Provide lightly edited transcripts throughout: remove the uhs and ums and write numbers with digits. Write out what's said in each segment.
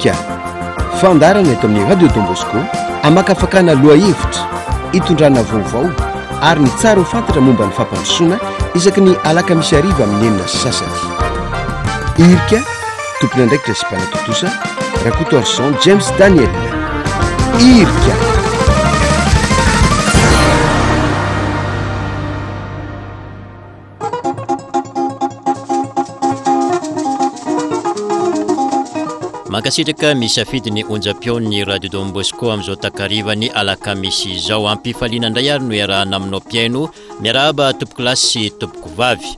Irika, fandaharana eto amin'ny Radio Don Bosco hamakafakana lohahevitra, hitondrana vaovao ary ny tsara ho fantatra momba ny fampandrosoana isaky ny alakamisy hariva amin'ny 6:30. Irika, tompon'andraikitra sy mpanatontosa, Rakotoarison James Daniel. Irika. Mankasitraka misafidy ny onjam-peon'ny Radio Don Bosco amin'izao takarivan'ny alakamisy izao. Ampifaliana indray ary no iarahana aminao mpihaino. Miarahaba tompokolahy sy tompokovavy.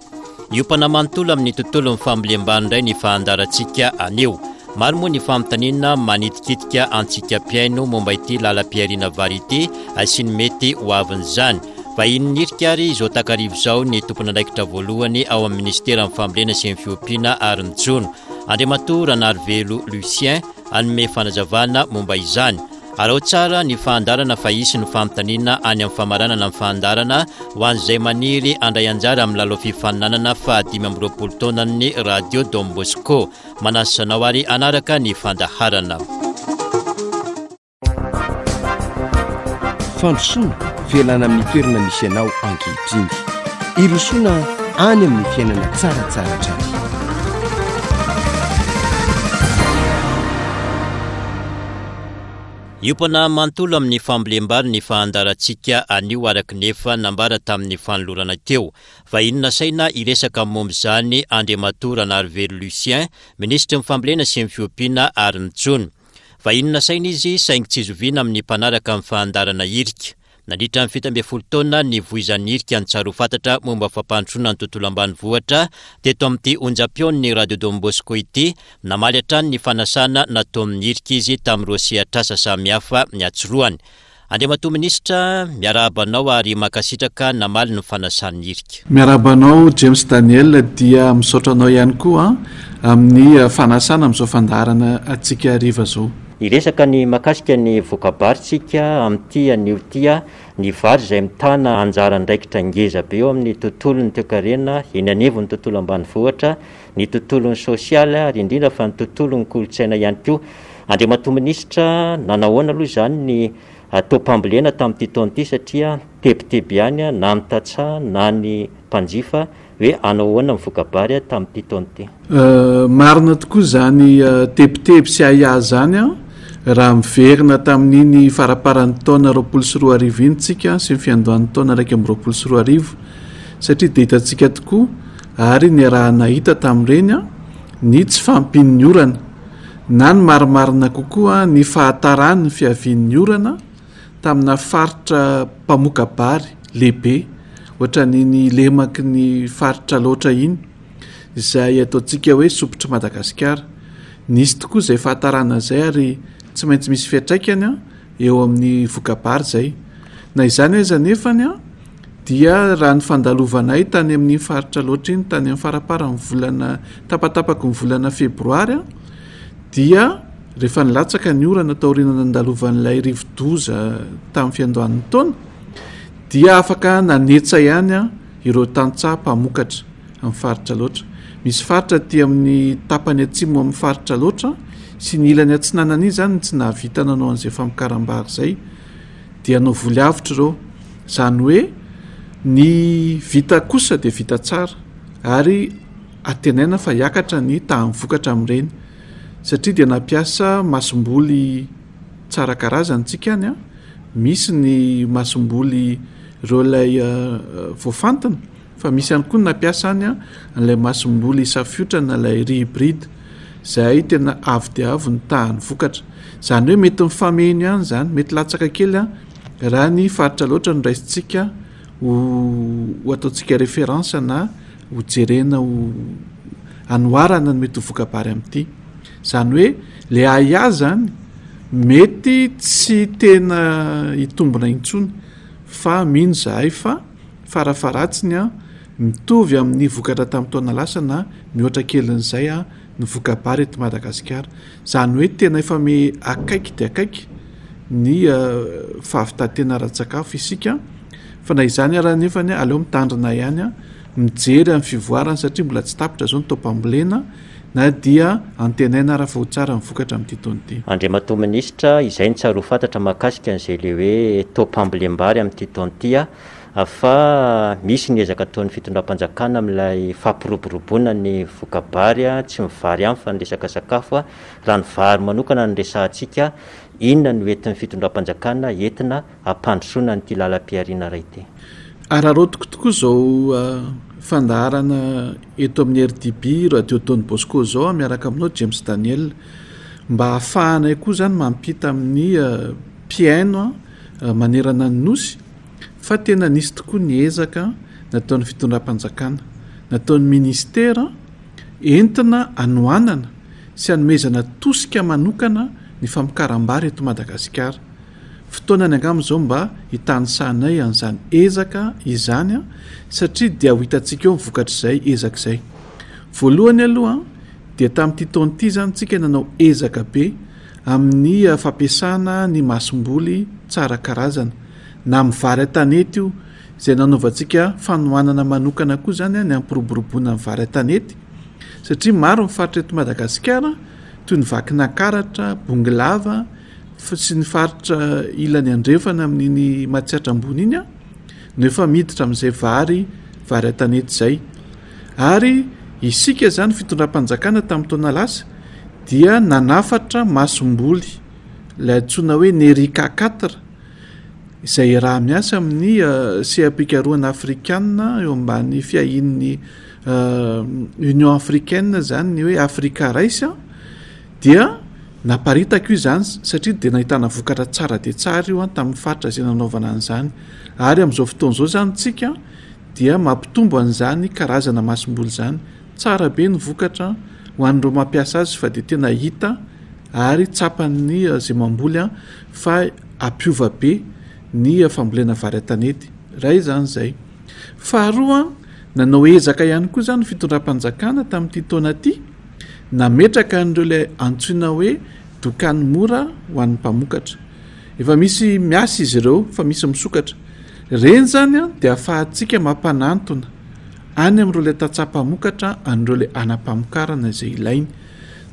Hiompana manontolo amin'ny tontolon'ny fambolem-bary indray ny fahandarantsika anio. Maro moa ny fanontaniana manitikitika antsika mpihaino momba ity lalam-pihariana vary ity sy ny mety ho avin'izany. Vahiny nirika ary izao takariva izao ny tompon'andraikitra voalohany ao amin'ny minisiteran'ny fambolena sy ny fiompiana ary ny jono, Andriamatoa Ranarivelo Lucien, hanome fanazavana momba izany. Araho tsara ny fahandarana fa hisy ny fanontaniana any amin'ny famaranana ny fahandarana ho an'izay maniry handray anjara amin'ny lalao fifaninanana faha 25 taonan'ny Radio Don Bosco. Manasa anao ary hanaraka ny fandaharana. Fandrosoana, fialana amin'ny toerana misy anao ankehitriny. Hirosoana any amin'ny fiainana tsaratsara hatrany. Hiompana manontolo amin'ny fambolem-bary ny fahandarantsika anio araka ny efa nambara tamin'ny fanolorana teo. Vahiny nasaina hiresaka momba izany Andriamatoa Ranarivelo Lucien, Minisitry ny Fambolena sy ny Fiompiana ary ny Jono. Vahiny nasaina izy saingy tsy zoviana amin'ny mpanaraka ny fahandarana hirika. Nandritra ny 17 taona nivoizan'ny hirika ny tsara ho fantatra momba fampandrosoana ny tontolo ambanivohitra teto amin'ity onjam-peon'ny Radio Don Bosco ity, namaly hatrany ny fanasana nataon'ny hirika izy tamin'ireo sehatr'asa samihafa niatsorohany. Andriamatoa Minisitra, miarahaba anao ary mankasitraka namaly ny fanasan'ny hirika. Miarahaba anao James Daniel dia misaotra anao ihany koa amin'ny fanasana amin'izao fandaharana antsika hariva izao. Hiresaka ny mahakasika ny voka-bary tsika amin'ity anio ity ny vary izay mitana anjara andraikitra ngeza be eo amin'ny tontolon'ny toekarena eny anivon'ny tontolo ambanivohitra, ny tontolon'ny sosialy ary indrindra fa ny tontolon'ny kolontsaina ihany koa. Andriamatoa Minisitra, nanahoana aloha izany ny taom-pambolena tamin'ity taona ity satria tebiteby ihany na ny tantsaha na ny mpanjifa hoe hanao ahoana ny voka-bary tamin'ity taona ity? Marina tokoa izany tebiteby sy ahiahy izany raha miverina tamin'iny faramparan'ny taona 2020 iny tsika sy ny fiandohan'ny taona 2021 satria dia hitantsika tokoa ary niaraha-nahita tamin'ireny ny tsy fahampian'ny orana na ny marimarina kokoa ny fahataran'ny fiavian'ny orana tamina faritra mpamoka-bary lehibe ohatran'iny lemaky ny faritra Alaotra iny izay ataontsika hoe sopitr'i Madagasikara. Nisy tokoa izay fahatarana izay ary tsy maintsy misy fiantraikany eo amin'ny voka-bary izay. Na izany aza anefany dia raha ny fandalovanay tany amin'iny faritra Alaotra iny tany amin'ny faramparan'ny volana tapatapaky ny volana febroary dia Rehefa nilatsaka ny orana taoriana nandalovan'ilay rivodoza tamin'ny fiandohan'ny taona, dia afaka nanetsa ihany ireo tantsaha mpamokatra amin'ny faritra Alaotra. Misy faritra aty amin'ny tapany atsimo amin'ny faritra Alaotra sy ny ilany atsinanana iny izany no tsy nahavita nanao an'izay famokaram-bary izay, dia hanao voly avotra ireo. Izany hoe ny vita kosa dia vita tsara ary antenaina fa hiakatra ny tahan'ny vokatra amin'ireny. Satria dia nampiasa masomboly tsara karazana tsika any an, misy ny masomboly ireo ilay voafantina fa misy ihany koa ny nampiasa any an an'ilay masomboly safiotra na ilay riz hybride izay tena avo dia avo ny tahan'ny vokatra. Izany hoe mety mifameno ihany izany, mety latsaka kely an raha ny faritra loatra no raisintsika ho ho ataontsika référence na ho jerena ho anoharana ny mety ho voka-bary amin'ity. Izany hoe le ahiahy zany mety tsy tena hitombina intsony fa mino zahay fa farafaharatsiny an mitovy amin'ny vokatra tamin'ny taona lasa na mihoatra kelin'izay an ny voka-bary eto Madagasikara. Izany hoe tena efa me akaiky dia akaiky ny fahavitan-tena ara-tsakafo isika fa na izany ara nefany aleo mitandrina ihany an mijery amin'ny fivoarany satria mbola tsy tapitra izao ny taom-pambolena. na dia antenaina ara fa ho tsara ny vokatra amin'ity taona ity. Andriamatoa Minisitra, izay no tsara ho fantatra mahakasika an'izay ilay hoe taom-pambolem-bary amin'ity taona ity fa misy ny ezaka ataon'ny fitondram-panjakana amin'ilay fampiroboroboana ny voka-bary, tsy ny vary ihany fa ny resaka sakafo. Raha ny vary manokana no resahantsika, inona no entin'ny fitondram-panjakana entina hampandrosoana an'ity lalam-pihariana iray ity? Araraotiko tokoa izao fandaharana eto amin'ny RDB Radio Don Bosco izao miaraka aminao James Daniel mba hahafahanay koa izany mampita amin'ny mpihaino manerana ny Nosy fa tena nisy tokoa ny ezaka nataon'ny fitondram-panjakana, nataon'ny ministera entina hanohanana sy hanomezana tosika manokana ny famokaram-bary eto Madagasikara. Fotoanany angamba izao mba hitanisanay an'izany ezaka izany satria dia ho hitantsika eo ny vokatr'izay ezaka izay. Voalohany aloha dia tamin'ity taona ity izany tsika nanao ezaka be amin'ny fampiasana ny masomboly tsara karazana na amin'ny vary an-tanety io izay nanaovantsika fanohanana manokana koa izany ny hampiroboroboana ny vary an-tanety satria maro ny faritra eto Madagasikara toy ny Vakinankaratra, Bongolava sy ny faritra ilany andrefana amin'iny Matsiatra ambony iny no efa miditra amin'izay vary vary an-tanety izay. Ary isika izany fitondram-panjakana tamin'ny taona lasa dia nanafatra masomboly ilay antsoina hoe Nerica quatre izay iaraha-miasa amin'ny seha-pikarohana afrikana eo ambany fiahian'ny Union africaine izany ny hoe Africa Rice dia naparitaka io izany satria dia nahitana vokatra tsara dia tsara io tamin'ny faritra izay nanaovana an'izany ary amin'izao fotoana izao izany tsika dia mampitombo an'izany karazana masomboly izany. Tsara be ny vokatra ho an'ireo mampiasa azy fa dia tena hita ary tsapan'ny izay mamboly fa hampiova be ny fambolena vary an-tanety. Iray izany izay. Faharoa, nanao ezaka ihany koa izany ny fitondram-panjakana tamin'ity taona ity, nametraka an'ireo ilay antsoina hoe dokany mora ho an'ny mpamokatra. Efa misy miasa izy ireo fa misy misokatra. Ireny izany dia ahafahantsika mampanantona any amin'ireo ilay tantsaha mpamokatra an'ireo ilay anam-pamokarana izay ilainy.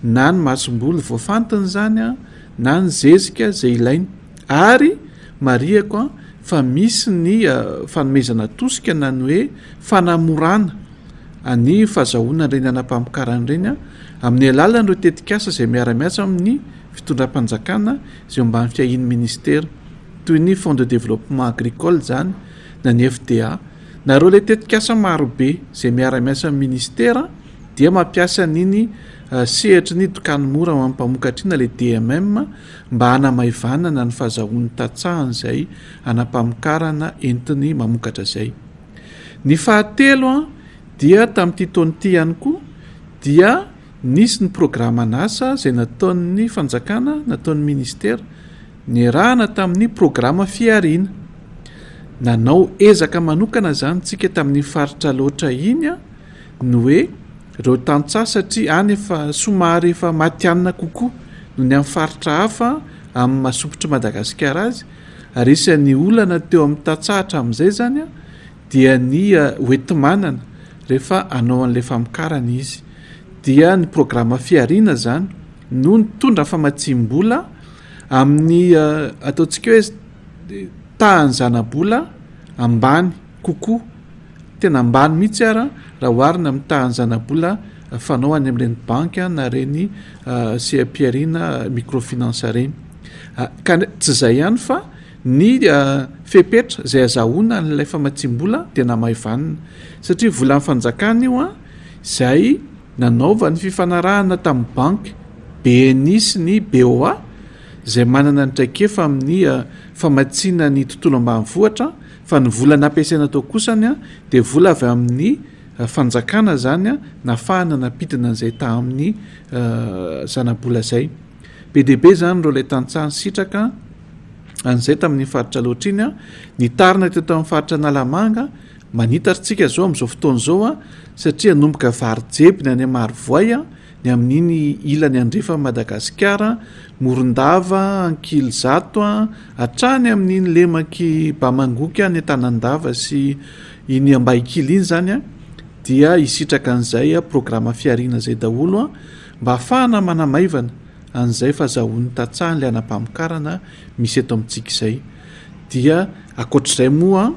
Na ny masomboly voafantina izany na ny zezika izay ilainy. Ary marihako fa misy ny fanomezana tosika na ny hoe fanamorana ny fahazahoana ireny anam-pamokarana ireny amin'ny alalan'ireo tetikasa izay miara-miasa amin'ny fitondram-panjakana izay eo ambany fiahian'ny ministera toy ny Fonds de développement agricole izany na ny FDA na ireo ilay tetikasa marobe izay miara-miasa amin'ny ministera dia mampiasa an'iny eh, sehatry ny dokany mora ho an'ny mpamokatra iny na ilay DMM mba hanamaivanana ny fahazahoan'ny tantsaha an'izay anam-pamokarana entiny mamokatra izay. Ny fahatelo an, dia tamin'ity taona ity ihany koa dia Nisy ny programan'asa izay nataon'ny fanjakana, nataon'ny ministera, niarahana tamin'ny programa Fihariana. Nanao ezaka manokana izany tsika tamin'iny faritra Alaotra iny ny hoe ireo tantsaha satria any efa somary efa matihanina kokoa noho ny amin'ny faritra hafa amin'ny maha sompitr'i Madagasikara azy ary isan'ny olana teo amin'ny tantsaha hatramin'izay izany dia ny hoenti-manana rehefa hanao an'ilay famokarana izy. Dia ny programa Fihariana izany no nitondra famatsiam-bola amin'ny ataontsika hoe tahan'ny zana-bola ambany kokoa, tena ambany mihitsy ara raha oharina amin'ny tahan'ny zana-bola fanao any amin'ireny banky na ireny seha-pihariana microfinance ireny. Ka tsy izay ihany fa Ny fepetra izay azahoana an'ilay famatsiam-bola dia namaivanina satria volan'ny fanjakana io izay nanaovany fifanarahana tamin'ny banky BNI sy ny BOA izay manana ny traikefa amin'ny famatsiana ny tontolo ambanivohitra fa ny vola nampiasaina tao kosany dia vola avy amin'ny fanjakana izany nafahana nampidina an'izay tamin'ny zanabola izay. Be dia be izany ireo ilay tantsaha nisitraka an'izay tamin'iny faritra Alaotra iny, nitarina teto amin'ny faritra Analamanga, manitatra isika izao amin'izao fotoana izao satria hanomboka vary jeby ny any Marovoay, ny amin'iny ilany andrefan'i Madagasikara, Morondava, Ankilizato, hatrany amin'iny lemak'i Bamangoky any Antanandava sy iny Ambahikily iny izany. dia hisitraka an'izay programa fihariana izay daholo mba hahafahana manamaivana an'izay fahazahoan'ny tantsaha an'ilay anam-pamokarana misy eto amintsika izay. Dia ankoatr'izay moa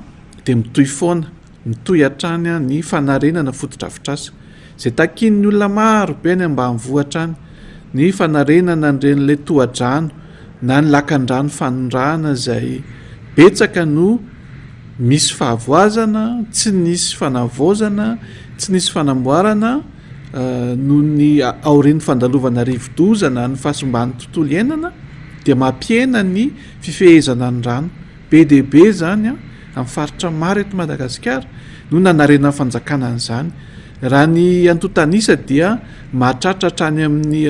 dia mitohy foana, mitohy hatrany ny fanarenana fotodrafitrasa izay takian'ny olona maro be any ambanivohitra any, ny fanarenana an'ireny ilay tohadrano na ny lakandrano fanondrahana izay betsaka no misy fahavoazana, tsy nisy fanavaozana, tsy nisy fanamboarana noho ny aorian'ny fandalovana rivodoza na ny fahasimban'ny tontolo iainana dia mampihena ny fifehezana ny rano. Be dia be izany amin'ny faritra maro eto Madagasikara no nanarenan'ny fanjakana an'izany. Raha ny antontan'isa dia mahatratra hatrany amin'ny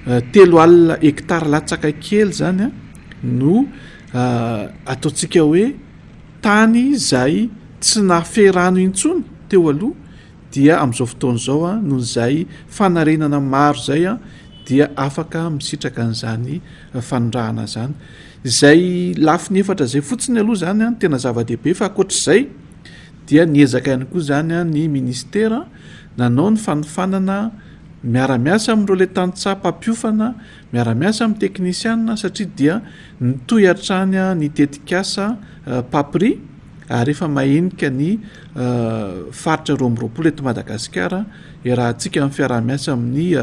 30 hektara latsaka kely izany no ataontsika hoe tany izay tsy nahafehy rano intsony teo aloha dia amin'izao fotoana izao noho izay fanarenana maro izay dia afaka misitraka an'izany fanondrahana izany. Izay lafiny efatra izay fotsiny aloha izany no tena zava-dehibe fa ankoatr'izay dia niezaka ihany koa izany ny ministera nanao ny fanofanana miara-miasa amin'ireo ilay tantsaha mpampiofana, miara-miasa amin'ny teknisianina satria dia nitohy hatrany ny tetikasa Papri ary efa mahenika ny faritra 22 eto Madagasikara iarahantsika amin'ny fiaraha-miasa amin'ny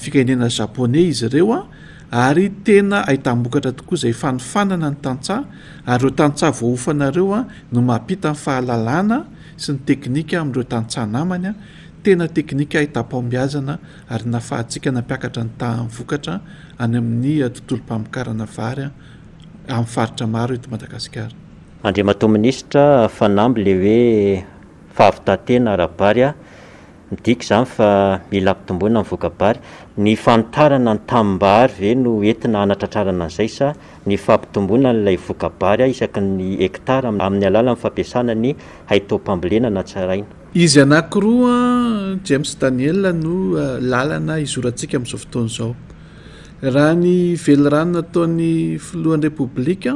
firenena japoney izy ireo ary tena ahitam-bokatra tokoa izay fanofanana ny tantsaha ary ireo tantsaha voaofana ireo no mampita ny fahalalana sy ny teknika amin'ireo tantsaha namany. Tena teknika ahitam-pahombiazana ary nafahantsika nampiakatra ny tahan'ny vokatra any amin'ny tontolom-pamokarana vary amin'ny faritra maro eto Madagasikara. Andriamatoa Minisitra, fanamby le hoe fahavitan-tena ara-bary a! Midika izany fa mila ampitomboina ny voka-bary. Ny fanitarana ny tanimbary ve no entina hanatratrarana an'izay sa ny fampitomboana an'ilay voka-bary isaky ny hektara amin'ny alalan'ny fampiasana ny haitaom-pambolena natsaraina? Izy anankiroa, James Daniel, no lalana izorantsika amin'izao fotoana izao. Raha ny velirano nataon'ny filohan'ny Repoblika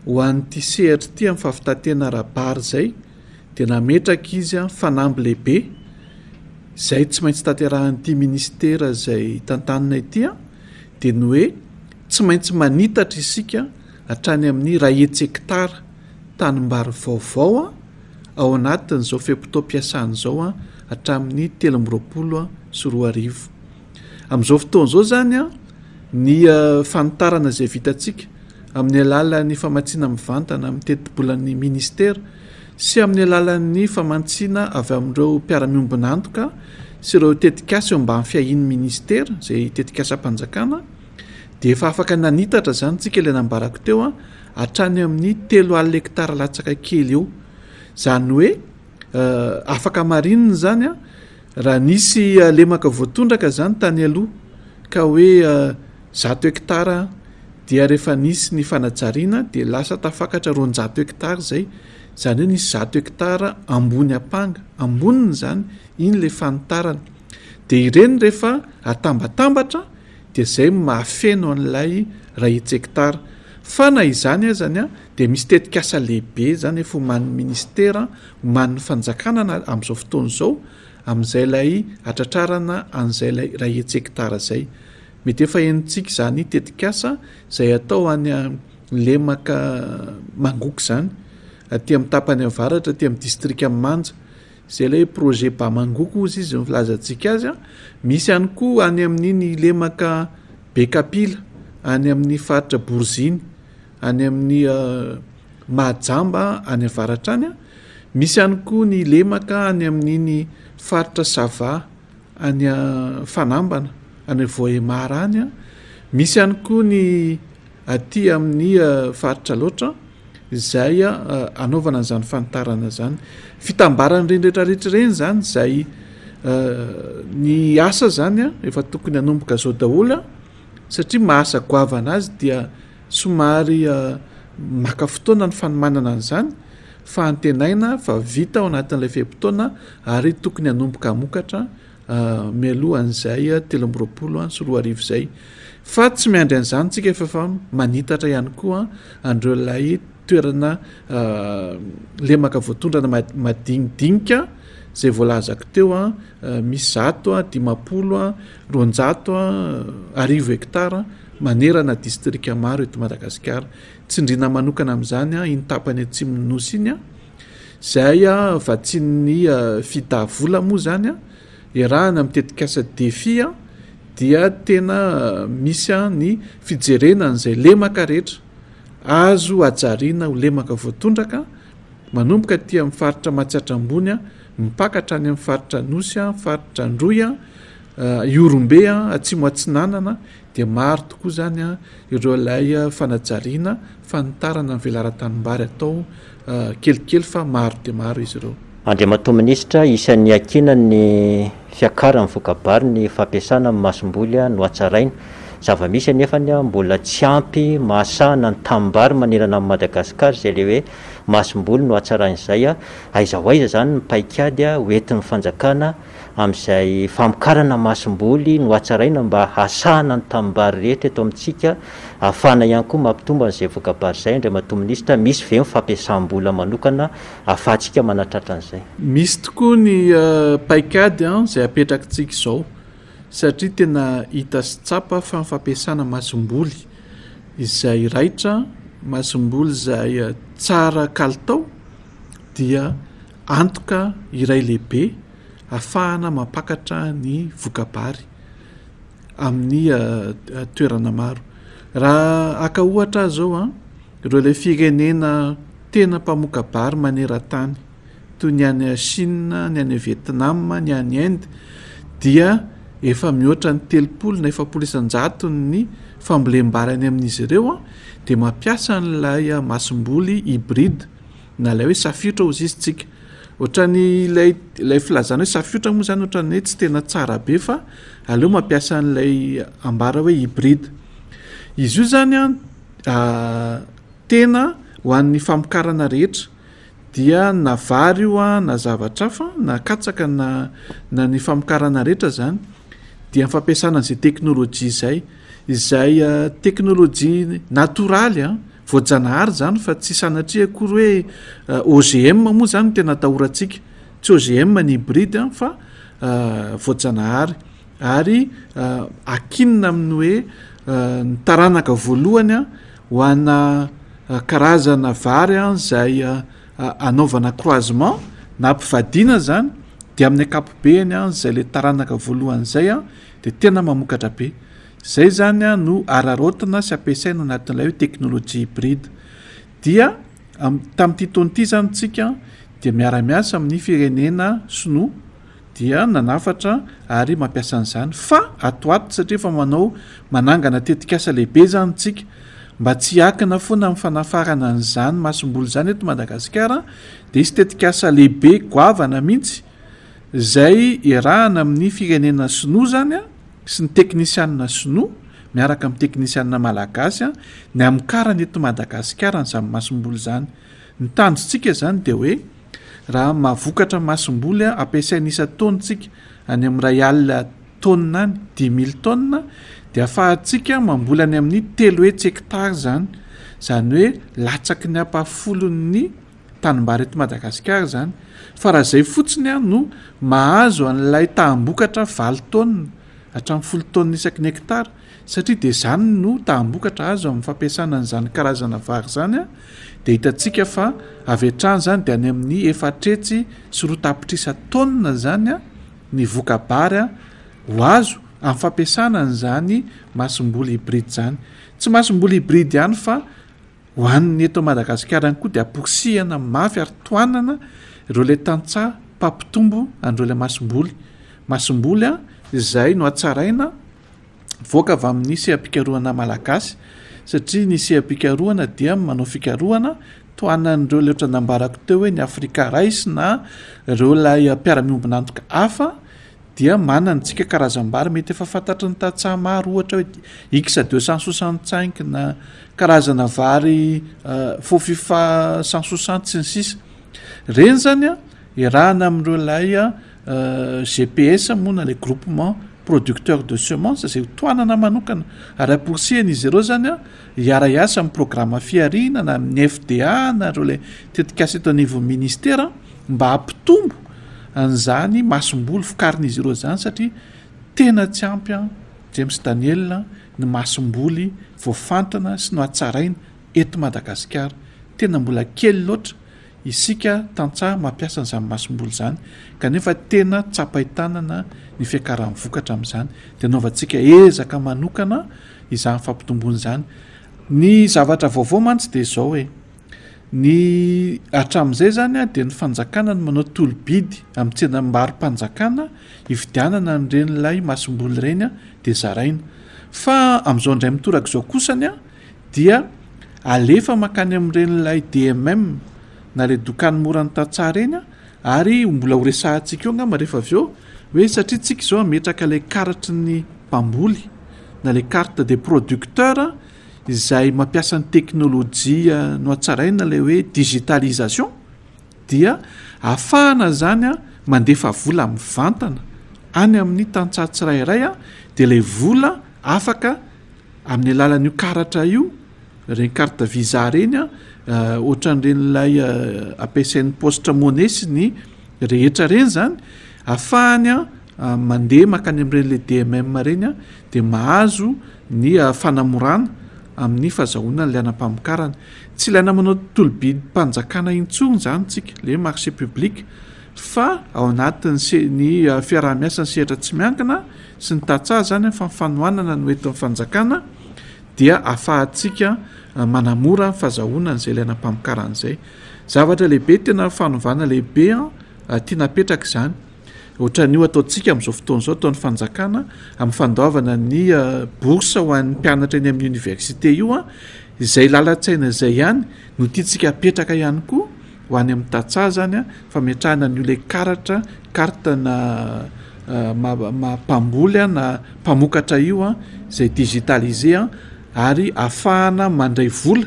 ho an'ity sehatra ity amin'ny fahavitan-tena ara-bary izay dia nametraka izy fanamby lehibe izay tsy maintsy tanterahin'ity minisitera izay tantanina ity dia ny hoe tsy maintsy manitatra isika hatrany amin'ny iray hetsy hektara tanimbary vaovao ao anatin'izao fe-potoam-piasana izao hatramin'ny 2023. Amin'izao fotoana izao izany ny fanitarana izay vitantsika amin'ny alalan'ny famatsiana mivantana amin'ny tetibolan'ny ministera sy amin'ny alalan'ny famantsiana avy amin'ireo mpiara-miombon'antoka sy ireo tetikasa eo ambany fiahian'ny ministera izay tetikasam-panjakana dia efa afaka nanitatra izany tsika ilay nambarako teo a hatrany amin'ny 30 hektara latsaka kely eo. Izany hoe afaka marinina izany a Raha nisy lemaka voatondraka izany tany aloha ka hoe 100 hektara dia rehefa nisy ny fanajariana dia lasa tafakatra 200 hektara izay, izany hoe nisy 100 hektara ambony ampanga, amboniny izany iny ilay fanitarana. Dia ireny rehefa atambatambatra dia izay no mahafeno an'ilay iray hetsy hektara. Fa na izany azany dia misy tetikasa lehibe izany efa omanin'ny ministera, omanin'ny fanjakana na amin'izao fotoana izao amin'izay ilay hatratrarana an'izay ilay iray hetsy hektara izay. Mety efa henontsika izany tetikasa izay atao any lemaka Mangoky izany, aty amin'ny tapany avaratra, aty amin'ny distrikan'i Manja. Izay ilay hoe projet Bamangoko hozy izy no filazantsika azy. Misy ihany koa any amin'iny lemaka Bekapila, any amin'ny faritra Boriziny, any amin'ny Mahajamba any avaratra any. Misy ihany koa ny lemaka any amin'iny faritra Sava any Fanambana, any Vohemar any. Misy ihany koa ny aty amin'ny faritra Alaotra izay anaovana an'izany fanitarana izany. Fitambaran'ireny rehetrarehetra ireny izany izay ny asa izany efa tokony hanomboka izao daholo satria maha asa goavana azy dia somary maka fotoana ny fanomanana an'izany fa antenaina fa vita ao anatin'ilay fe-potoana ary tokony hanomboka hamokatra mialoha an'izay 2023 izay. Fa tsy miandry an'izany tsika fa efa manitatra ihany koa an'ireo ilay toerana lemaka voatondrana madinidinika. izay voalazako teo, misy 100, 50, 200, 1000 hektara manerana distrika maro eto Madagasikara. Tsindriana manokana amin'izany iny tapany atsimon'ny Nosy iny, izay vatsian'ny FIDA vola moa izany, iarahana amin'ny tetikasa Defi dia tena misy ny fijerena an'izay lemaka rehetra azo hajariana ho lemaka voatondraka manomboka aty amin'ny faritra Matsiatra Ambony mipaka hatrany amin'ny faritra Anosy, faritra Androy, Ihorombe, Atsimo Atsinanana dia maro tokoa izany ireo ilay fanajariana fanitarana ny velaran-tanimbary atao kelikely fa maro dia maro izy ireo. Andriamatoa Minisitra, isan'ny iankiana ny fiakaran'ny voka-bary ny fampiasana ny masomboly nohatsaraina. Zava-misy anefa mbola tsy ampy mahasahana ny tanimbary manerana an'i Madagasikara izay ilay hoe masomboly nohatsaraina izay. Aiza ho aiza izany ny paikady hoentin'ny fanjakana amin'izay famokarana masomboly nohatsaraina mba hahasahana ny tanimbary rehetra eto amintsika, ahafahana ihany koa mampitombo an'izay voka-bary izay, Andriamatoa Minisitra, misy ve ny fampiasam-bola manokana ahafahantsika manatratra an'izay? Misy tokoa ny paikady izay apetrakitsika izao satria tena hita sy tsapa fa ny fampiasana masomboly izay raitra, masomboly izay tsara kalitao dia antoka iray lehibe ahafahana mampakatra ny voka-bary amin'ny toerana maro. Raha haka ohatra aho izao an, ireo ilay firenena tena mpamoka-bary maneran-tany toy ny any Chine, ny any Vietnam, ny any Inde dia efa mihoatra ny 30 na 40 isan-jaton'ny fambolem-bary any amin'izy ireo dia mampiasa an'ilay masomboly hybride na ilay hoe safiotra hozy izy tsika. Ohatran'ny ilay ilay filazana hoe safiotra moa zany ohatran'ny hoe tsy tena tsara be fa aleo mampiasa an'ilay ambara hoe hybride. Izy io zany an tena ho an'ny famokarana rehetra dia na vary io an na zavatra hafa na katsaka na na ny famokarana rehetra zany dia ny fampiasana an'izay teknolojia izay, izay teknolojia natoraly an Voajanahary izany fa tsy sanatria akory hoe OGM moa izany no tena atahorantsika. Tsy OGM ny hybride fa voajanahary ary akinina amin'ny hoe ny taranaka voalohany ho ana karazana vary izay anaovana croisement na ampivadiana izany dia amin'ny ankapobeny izay ilay taranaka voalohany izay dia tena mamokatra be. Izay izany no araraotina sy ampiasaina anatin'ilay hoe teknolojia hybride. Dia tamin'ity taona ity izany isika dia miara-miasa amin'ny firenena sinoa dia nanafatra ary mampiasa an'izany fa ato ato satria efa manao manangana tetikasa lehibe izany isika mba tsy hiankina foana amin'ny fanafarana an'izany masomboly izany eto Madagasikara dia hisy tetikasa lehibe goavana mihitsy izay iarahana amin'ny firenena sinoa izany an sy ny teknisianina sinoa miaraka amin'ny teknisianina malagasy ny hamokarana eto Madagasikara an'izany masomboly izany. Ny tanjontsika izany dia hoe raha mahavokatra masomboly ampiasaina isan-taona isika any amin'ny iray alina taonina any, dix mille tonnes, dia ahafahantsika mamboly any amin'ny 300 hectares izany. Izany hoe latsaky ny ampahafolon'ny tanimbary eto Madagasikara izany. Fa raha izay fotsiny no mahazo an'ilay taham-bokatra valo taonina hatramin'ny folo taonina isaky ny hekitara, satria dia izany no taham-bokatra azo amin'ny fampiasana an'izany karazana vary izany, dia hitantsika fa avy hatrany izany dia any amin'ny 204 tapitrisa taonina izany ny voka-bary ho azo amin'ny fampiasana an'izany masomboly hybride izany. Tsy masomboly hybride ihany fa Ho an'ny eto Madagasikara ihany koa dia amporisihana mafy ary tohanana ireo ilay tantsaha mpampitombo an'ireo ilay masomboly. Masomboly izay nohatsaraina mivoaka avy amin'ny seha-pikarohana malagasy satria ny seha-pikarohana dia manao fikarohana tohanan'ireo ilay ohatra nambarako teo hoe ny Africa Rice na ireo ilay mpiara-miombon'antoka hafa dia manana antsika karazam-bary mety efa fantatry ny tantsaha maro ohatra hoe X 265 na karazana vary Fofifa 160 sy ny sisa. Ireny zany a iarahana amin'ireo ilay GPS moa na ilay groupement producteur de semence izay ho tohanana manokana ary amporisihana izy ireo zany a hiara-hiasa amin'ny programa fihariana na amin'ny FDA na ireo ilay tetikasa eto anivon'ny ministera mba hampitombo. an'izany masomboly vokarin'izy ireo izany satria tena tsy ampy an James Daniel ny masomboly voafantina sy nohatsaraina eto Madagasikara. Tena mbola kely loatra isika tantsaha mampiasa an'izany masomboly izany kanefa tena tsapain-tanana ny fiakaran'ny vokatra amin'izany. Dia anaovantsika ezaka manokana izany fampitomboana izany. Ny zavatra vaovao mantsy dia izao hoe ny hatramin'izay izany dia ny fanjakana no manao tolo-bidy amin'ny tsenam-barom-panjakana hividianana an'ireny ilay masomboly ireny dia zaraina. Fa amin'izao indray mitoraka izao kosany dia alefa mankany amin'ireny ilay DMM na ilay dokany mora ny tantsaha ireny ary mbola ho resahantsika eo angamba rehefa avy eo hoe satria tsika izao hametraka ilay karatry ny mpamboly na ilay carte des producteurs izay mampiasa ny teknolojia nohatsaraina ilay hoe digitalisation dia ahafahana izany mandefa vola mivantana any amin'ny tantsaha tsirairay dia ilay vola afaka amin'ny alalan'io karatra io, ireny carte visa ireny an, ohatran'ireny ilay ampiasain'ny poste monnaie sy ny rehetra ireny izany, ahafahany mandeha mankany amin'ireny ilay DMM ireny dia mahazo ny fanamorana amin'ny fahazahoana an'ilay anam-pamokarana. Tsy ilaina manao tolo-bidim-panjakana intsony izany isika, ilay hoe marché public, fa ao anatin'ny se- ny fiaraha-miasan'ny sehatra tsy miankina sy ny tantsaha izany fa ny fanohanana no entin'ny fanjakana dia ahafahantsika manamora ny fahazahoana an'izay ilaina am-pamokarana izay. Zavatra lehibe tena fanovana lehibe tiana apetraka izany. Ohatran'io ataontsika amin'izao fotoana izao ataon'ny fanjakana amin'ny fandoavana ny bourse ho an'ny mpianatra eny amin'ny université io, izay lalan-tsaina izay ihany no tiantsika apetraka ihany koa ho any amin'ny tantsaha izany fametrahana an'io ilay karatra carte na maha mpamboly na mpamokatra io izay digitalisé ary ahafahana mandray vola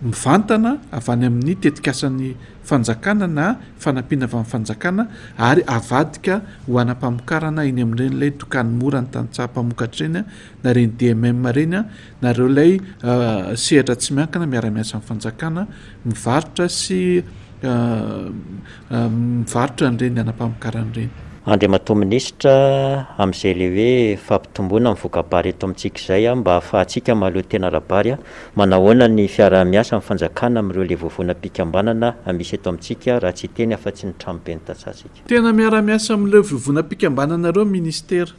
mivantana avy any amin'ny tetikasan'ny fanjakana na fanampiana avy amin'ny fanjakana ary avadika ho anam-pamokarana eny amin'ireny ilay dokany mora ny tantsaha mpamokatra ireny na ireny DMM ireny na ireo ilay sehatra tsy miankina miara-miasa amin'ny fanjakana mivarotra sy mivarotra an'ireny anam-pamokarana ireny. Andriamatoa Minisitra, amin'izay ilay hoe fampitomboana ny voka-bary eto amintsika izay mba hahafahantsika mahaleo tena ara-bary, manahoana ny fiaraha-miasa amin'ny fanjakana amin'ireo ilay vovonam-pikambanana misy eto amintsika raha tsy hiteny afa-tsy ny tranoben'ny tantsahantsika? Tena miara-miasa amin'ireo vovonam-pikambanana ireo ny Minisitera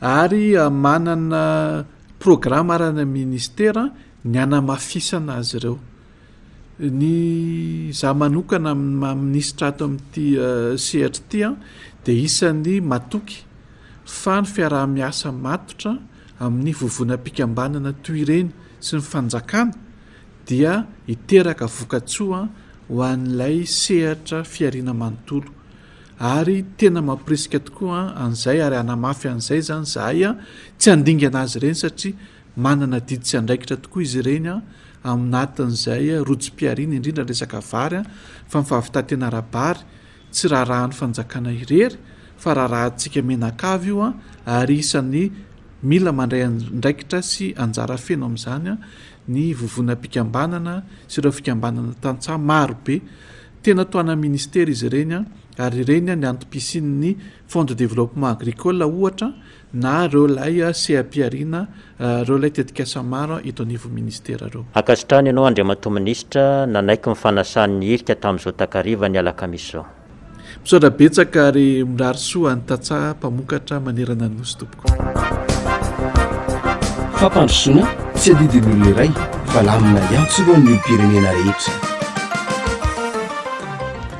ary manana programa ary any amin'ny Minisitera ny hanamafisana azy ireo. Ny izaho manokana amin'ny maha minisitra ato amin'ity sehatra ity dia isan'ny matoky fa ny fiaraha-miasa matotra amin'ny vovonam-pikambanana toy ireny sy ny fanjakana dia hiteraka vokatsoa ho an'ilay sehatra fihariana manontolo ary tena mamporisika tokoa an'izay ary hanamafy an'izay izany izahay tsy handingana azy ireny satria Manana adidy sy andraikitra tokoa izy ireny aminatin'izay rojom-pihariana, indrindra ny resaka vary, fa ny fahavitan-tena ara-bary tsy raharahan'ny fanjakana irery fa raharahantsika mianakavy io ary isan'ny mila mandray andraikitra sy anjara feno amin'izany ny vovonam-pikambanana sy ireo fikambanana tantsaha maro be. Tena tohanan'ny ministera izy ireny ary ireny ny antom-pisian'ny Fonds de développement agricole ohatra na ireo ilay seha-pihariana, ireo ilay tetikasa maro eto anivon'ny ministera ireo. Ankasitrahana ianao Andriamatoa Minisitra nanaiky ny fanasan'ny hirika tamin'izao takariva ny alakamisy izao. Misaotra betsaka ary mirary soa an'ny tantsaha mpamokatra manerana ny Nosy tompoko. Fampandrosoana tsy adidin'ny olona iray fa lamina iantsorohan'ny olom-pirenena rehetra.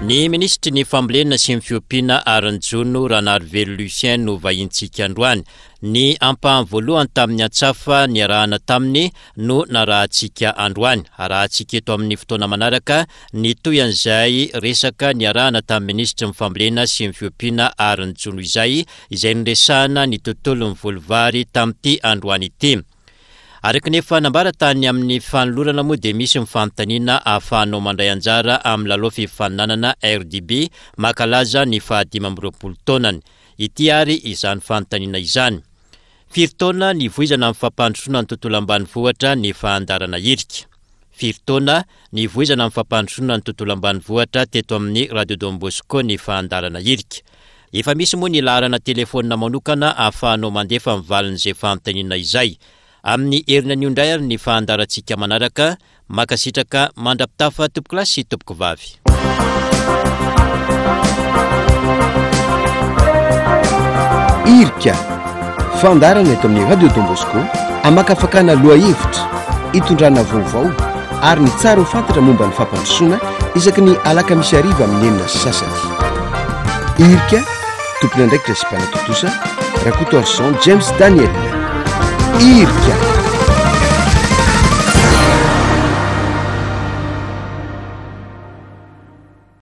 Ny minisitry ny Fambolena sy ny Fiompiana ary ny Jono, Ranarivelo Lucien no vahintsika androany. Ny ampahany voalohany tamin'ny antsafa niarahana taminy no narahantsika androany. Arahantsika eto amin'ny fotoana manaraka ny tohin'izay resaka niarahana tamin'ny minisitry ny Fambolena sy ny Fiompiana ary ny Jono izay, izay niresahana ny tontolon'ny voly vary tamin'ity androany ity. Araka ny efa nambara tany amin'ny fanolorana moa dia misy ny fanontaniana ahafahanao mandray anjara amin'ny lalao fifaninanana RDB mankalaza ny faha-25 taonany. Ity ary izany fanontaniana izany. Firy taona nivoizana amin'ny fampandrosoana ny tontolo ambanivohitra ny fahandarana hirika? Firy taona nivoizana ny fampandrosoana ny tontolo ambanivohitra teto amin'ny Radio Don Bosco ny fandaharana Irika. Efa misy moa ny laharana telefaonina manokana ahafahanao mandefa ny valin'izay fanontaniana izay. Amin'ny heriny anio indray ary ny fandaharantsika manaraka. Mankasitraka mandra-pitafa tompokolahy sy tompokovavy. Irika, fandaharana eto amin'ny Radio Don Bosco, amakafakana lohahevitra, itondrana vaovao ary ny tsara ho fantatra momba ny fampandrosoana isaky ny alakamisy hariva amin'ny 6:30. Irika, tompon'andraikitra sy mpanatontosa, Rakotoarison James Daniel. Irika.